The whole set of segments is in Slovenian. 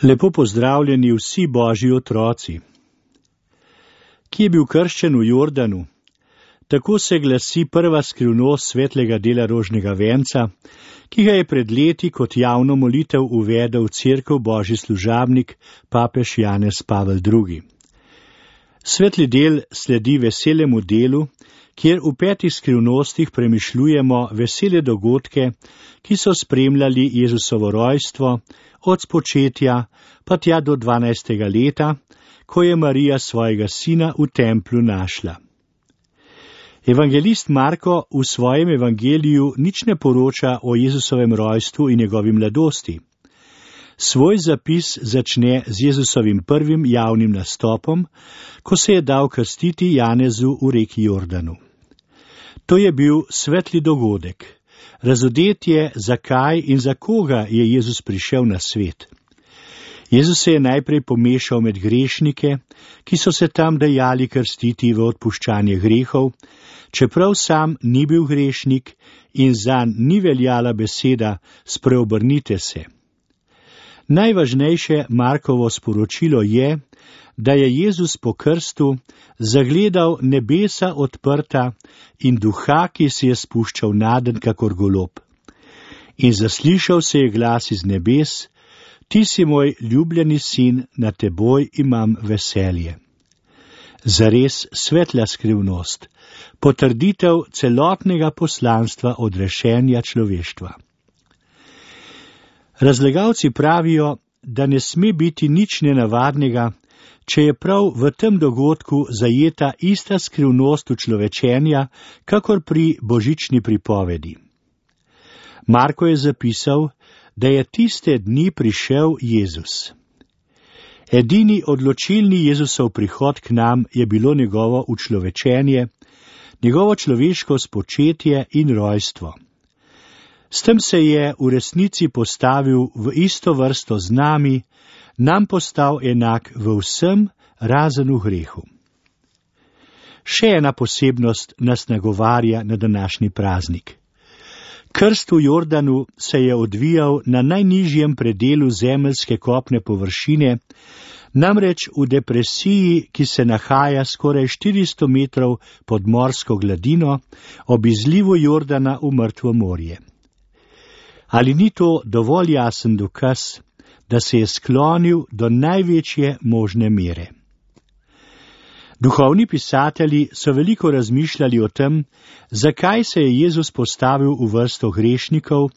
Lepo pozdravljeni vsi Božji otroci. Ki je bil krščen v Jordanu, tako se glasi prva skrivnost svetlega dela rožnega venca, ki ga je pred leti kot javno molitev uvedel v cerkev Božji služabnik papež Janez Pavel II. Svetli del sledi veselemu delu, kjer v 5 skrivnostih premišljujemo vesele dogodke, ki so spremljali Jezusovo rojstvo, od spočetja pa tja do 12. leta, ko je Marija svojega sina v templju našla. Evangelist Marko v svojem evangeliju nič ne poroča o Jezusovem rojstvu in njegovi mladosti. Svoj zapis začne z Jezusovim prvim javnim nastopom, ko se je dal krstiti Janezu v reki Jordanu. To je bil svetli dogodek. Razodetje, zakaj in za koga je Jezus prišel na svet. Jezus se je najprej pomešal med grešnike, ki so se tam dajali krstiti v odpuščanje grehov, čeprav sam ni bil grešnik in zanj ni veljala beseda spreobrnite se. Najvažnejše Markovo sporočilo je, da je Jezus po krstu zagledal nebesa odprta in duha, ki se je spuščal naden kakor golob. In zaslišal se je glas iz nebes, ti si moj ljubljeni sin, na teboj imam veselje. Zares svetla skrivnost, potrditev celotnega poslanstva odrešenja človeštva. Razlagalci pravijo, da ne sme biti nič nenavadnega, če je prav v tem dogodku zajeta ista skrivnost učlovečenja, kakor pri božični pripovedi. Marko je zapisal, da je tiste dni prišel Jezus. Edini odločilni Jezusov prihod k nam je bilo njegovo učlovečenje, njegovo človeško spočetje in rojstvo. S tem se je v resnici postavil v isto vrsto z nami, nam postal enak v vsem, razen v grehu. Še ena posebnost nas nagovarja na današnji praznik. Krst v Jordanu se je odvijal na najnižjem predelu zemeljske kopne površine, namreč v depresiji, ki se nahaja skoraj 400 metrov pod morsko gladino, ob izlivu Jordana v mrtvo morje. Ali ni to dovolj jasen dokaz, da se je sklonil do največje možne mere? Duhovni pisatelji so veliko razmišljali o tem, zakaj se je Jezus postavil v vrsto grešnikov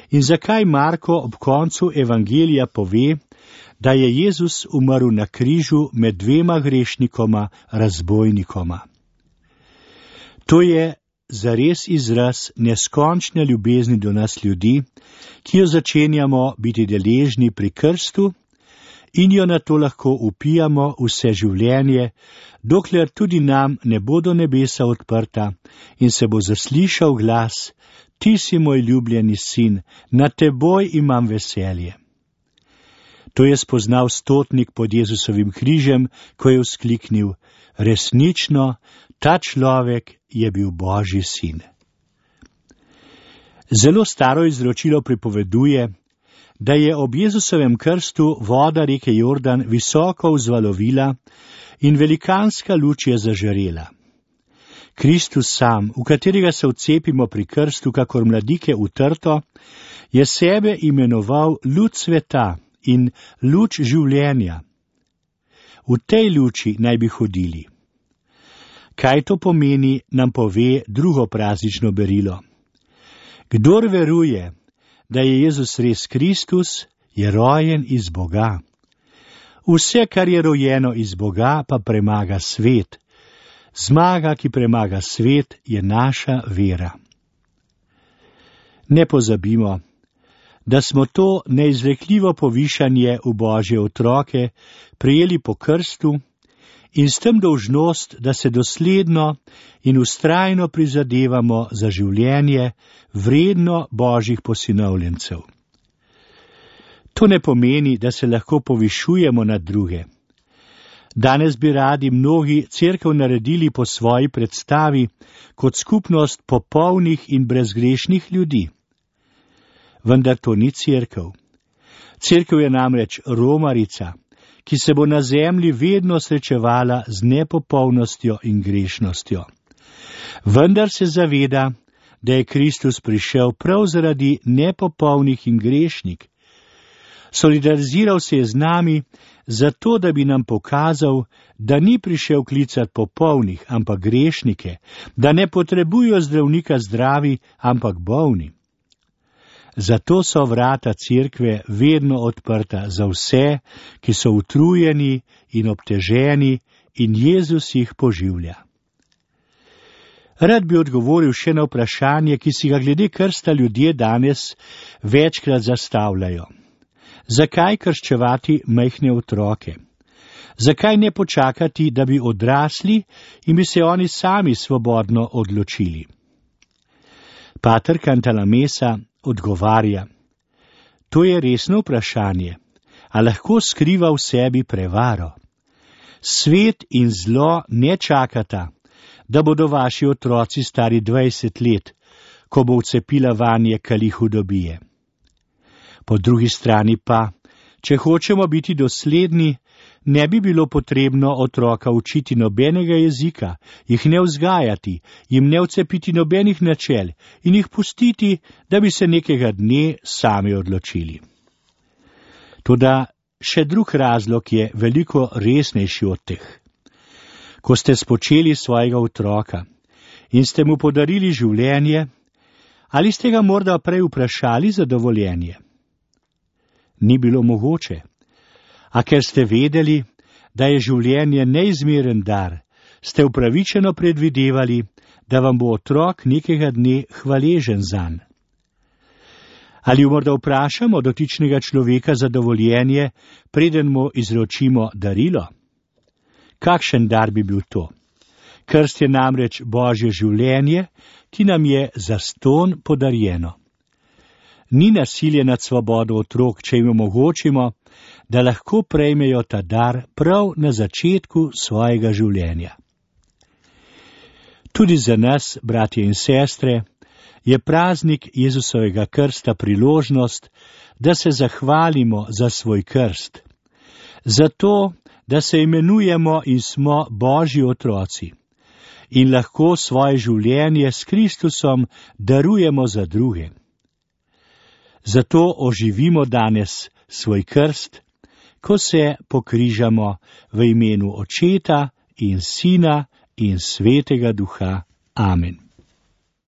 in zakaj Marko ob koncu evangelija pove, da je Jezus umrl na križu med 2 grešnikoma, razbojnikoma. To je zares izraz neskončne ljubezni do nas ljudi, ki jo začenjamo biti deležni pri krstu in jo nato lahko upijamo vse življenje, dokler tudi nam ne bodo nebesa odprta in se bo zaslišal glas, ti si moj ljubljeni sin, na teboj imam veselje. To je spoznal stotnik pod Jezusovim križem, ko je vzkliknil, resnično, ta človek je bil Božji sin. Zelo staro izročilo pripoveduje, da je ob Jezusovem krstu voda reke Jordan visoko vzvalovila in velikanska luč je zažarela. Kristus sam, v katerega se vcepimo pri krstu kakor mladike v trto, je sebe imenoval luč sveta in luč življenja. V tej luči naj bi hodili. Kaj to pomeni, nam pove drugo praznično berilo. Kdor veruje, da je Jezus res Kristus, je rojen iz Boga. Vse, kar je rojeno iz Boga, pa premaga svet. Zmaga, ki premaga svet, je naša vera. Ne pozabimo, da smo to neizrekljivo povišanje v Božje otroke prejeli po krstu in s tem dolžnost, da se dosledno in vztrajno prizadevamo za življenje vredno Božjih posinovljencev. To ne pomeni, da se lahko povišujemo nad druge. Danes bi radi mnogi cerkev naredili po svoji predstavi kot skupnost popolnih in brezgrešnih ljudi. Vendar to ni cerkev. Cerkev je namreč romarica, ki se bo na zemlji vedno srečevala z nepopolnostjo in grešnostjo. Vendar se zaveda, da je Kristus prišel prav zaradi nepopolnih in grešnik. Solidariziral se je z nami, zato da bi nam pokazal, da ni prišel klicat popolnih, ampak grešnike, da ne potrebujo zdravnika zdravi, ampak bolni. Zato so vrata cerkve vedno odprta za vse, ki so utrujeni in obteženi, in Jezus jih poživlja. Rad bi odgovoril še na vprašanje, ki si ga glede krsta ljudje danes večkrat zastavljajo. Zakaj krščevati majhne otroke? Zakaj ne počakati, da bi odrasli in bi se oni sami svobodno odločili? Pater Cantalamessa odgovarja: to je resno vprašanje, a lahko skriva v sebi prevaro. Svet in zlo ne čakata, da bodo vaši otroci stari 20 let, ko bo vcepila vanje kali hudobije. Po drugi strani pa, če hočemo biti dosledni, ne bi bilo potrebno otroka učiti nobenega jezika, jih ne vzgajati, jim ne vcepiti nobenih načel in jih pustiti, da bi se nekega dne sami odločili. Toda še drug razlog je veliko resnejši od teh. Ko ste spočeli svojega otroka in ste mu podarili življenje, ali ste ga morda prej vprašali za dovoljenje? Ni bilo mogoče. A ker ste vedeli, da je življenje neizmeren dar, ste upravičeno predvidevali, da vam bo otrok nekega dne hvaležen zanj. Ali morda vprašamo dotičnega človeka za dovoljenje, preden mu izročimo darilo? Kakšen dar bi bil to? Krst je namreč Božje življenje, ki nam je zastonj podarjeno. Ni nasilje nad svobodo otrok, če jim omogočimo, da lahko prejmejo ta dar prav na začetku svojega življenja. Tudi za nas, bratje in sestre, je praznik Jezusovega krsta priložnost, da se zahvalimo za svoj krst. Zato, da se imenujemo in smo Božji otroci in lahko svoje življenje s Kristusom darujemo za druge. Zato oživimo danes svoj krst, ko se pokrižamo v imenu Očeta in Sina in Svetega Duha. Amen.